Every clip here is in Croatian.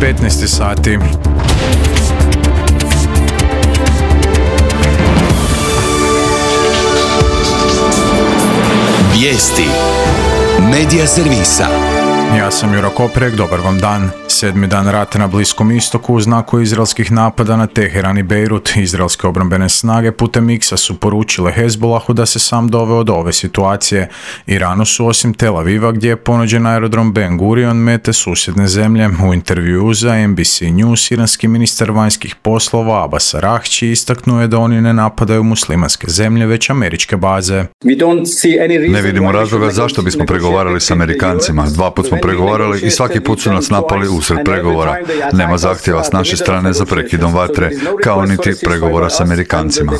15 sati. Vijesti Medija servisa. Ja sam Juro Koprek, dobar vam dan. 7. dan rata na Bliskom istoku u znaku izraelskih napada na Teheran i Bejrut. Izraelske obrambene snage putem X-a su poručile Hezbollahu da se sam doveo do ove situacije. Iranu su osim Tel Aviva, gdje je ponuđen aerodrom Ben Gurion, mete susjedne zemlje. U intervjuu za NBC News iranski ministar vanjskih poslova Abbas Araghči istaknuo je da oni ne napadaju muslimanske zemlje, već američke baze. Ne vidimo razloga zašto bismo pregovarali s Amerikancima. 2 puta smo pregovarali i svaki put su nas napali usred pregovora. Nema zahtjeva s naše strane za prekidom vatre, kao niti pregovora s Amerikancima.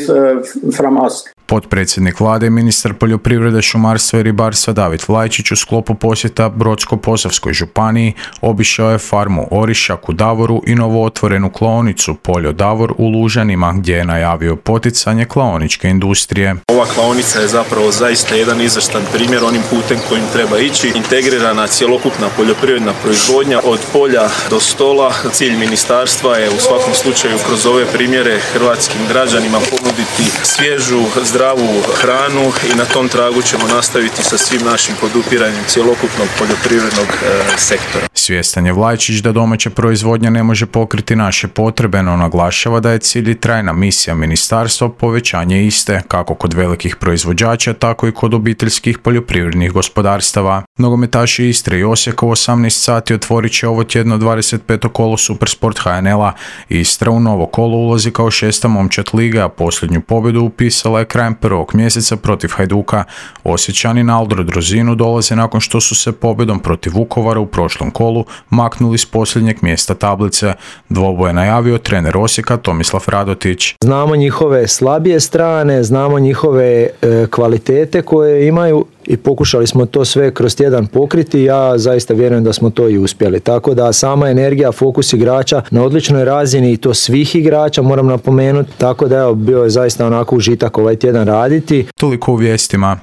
Potpredsjednik vlade i ministar poljoprivrede, šumarstva i ribarstva David Vlajčić u sklopu posjeta Brodsko-posavskoj županiji obišao je farmu Orišak u Davoru i novootvorenu klaonicu Poljo Davor u Lužanima, gdje je najavio poticanje klaoničke industrije. Ova klaonica je zapravo zaista jedan izvrstan primjer onim putem kojim treba ići. Integrirana cjelokupna poljoprivredna proizvodnja od polja do stola. Cilj ministarstva je u svakom slučaju kroz ove primjere hrvatskim građanima ponuditi svježu, zdravu hranu i na tom tragu ćemo nastaviti sa svim našim podupiranjem cjelokupnog poljoprivrednog sektora. Svjestan je Vlajčić da domaća proizvodnja ne može pokriti naše potrebe, no naglašava da je cilj i trajna misija ministarstva povećanje iste, kako kod velikih proizvođača, tako i kod obiteljskih poljoprivrednih gospodarstava. Nogometaši Istre i Osijeka u 18 sati otvorit će ovo tjedno 25. kolo Supersport HNL-a. Istra u novo kolo ulazi kao 6. momčad lige, a posljednju pobjedu upisala je krajem 1. mjeseca protiv Hajduka. Osječani na Aldro Drozinu dolaze nakon što su se pobjedom protiv Vukovara u prošlom kolu maknuli s posljednjeg mjesta tablice. Dvoboj je najavio trener Osijeka Tomislav Radotić. Znamo njihove slabije strane, znamo njihove kvalitete koje imaju i pokušali smo to sve kroz tjedan pokriti. Ja zaista vjerujem da smo to i uspjeli. Tako da sama energija, fokus igrača na odličnoj razini i to svih igrača moram napomenuti. Tako da bio je zaista onako užitak ovaj tjedan raditi. Toliko u vijestima.